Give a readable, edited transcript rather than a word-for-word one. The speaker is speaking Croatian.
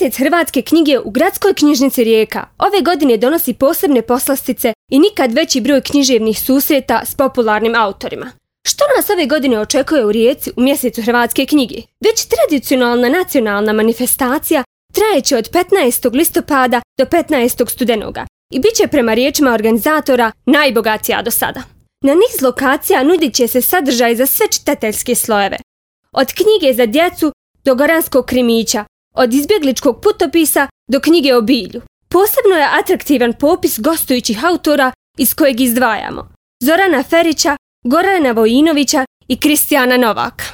Mjesec hrvatske knjige u Gradskoj knjižnici Rijeka ove godine donosi posebne poslastice i nikad veći broj književnih susreta s popularnim autorima. Što nas ove godine očekuje u Rijeci u mjesecu hrvatske knjige? Već tradicionalna nacionalna manifestacija trajeće od 15. listopada do 15. studenoga i bit će prema riječima organizatora najbogatija do sada. Na niz lokacija nudit će se sadržaj za sve čitateljske slojeve. Od knjige za djecu do goranskog krimića, od izbjegličkog putopisa do knjige o bilju. Posebno je atraktivan popis gostujućih autora iz kojeg izdvajamo Zorana Ferića, Gorana Vojinovića i Kristijana Novaka.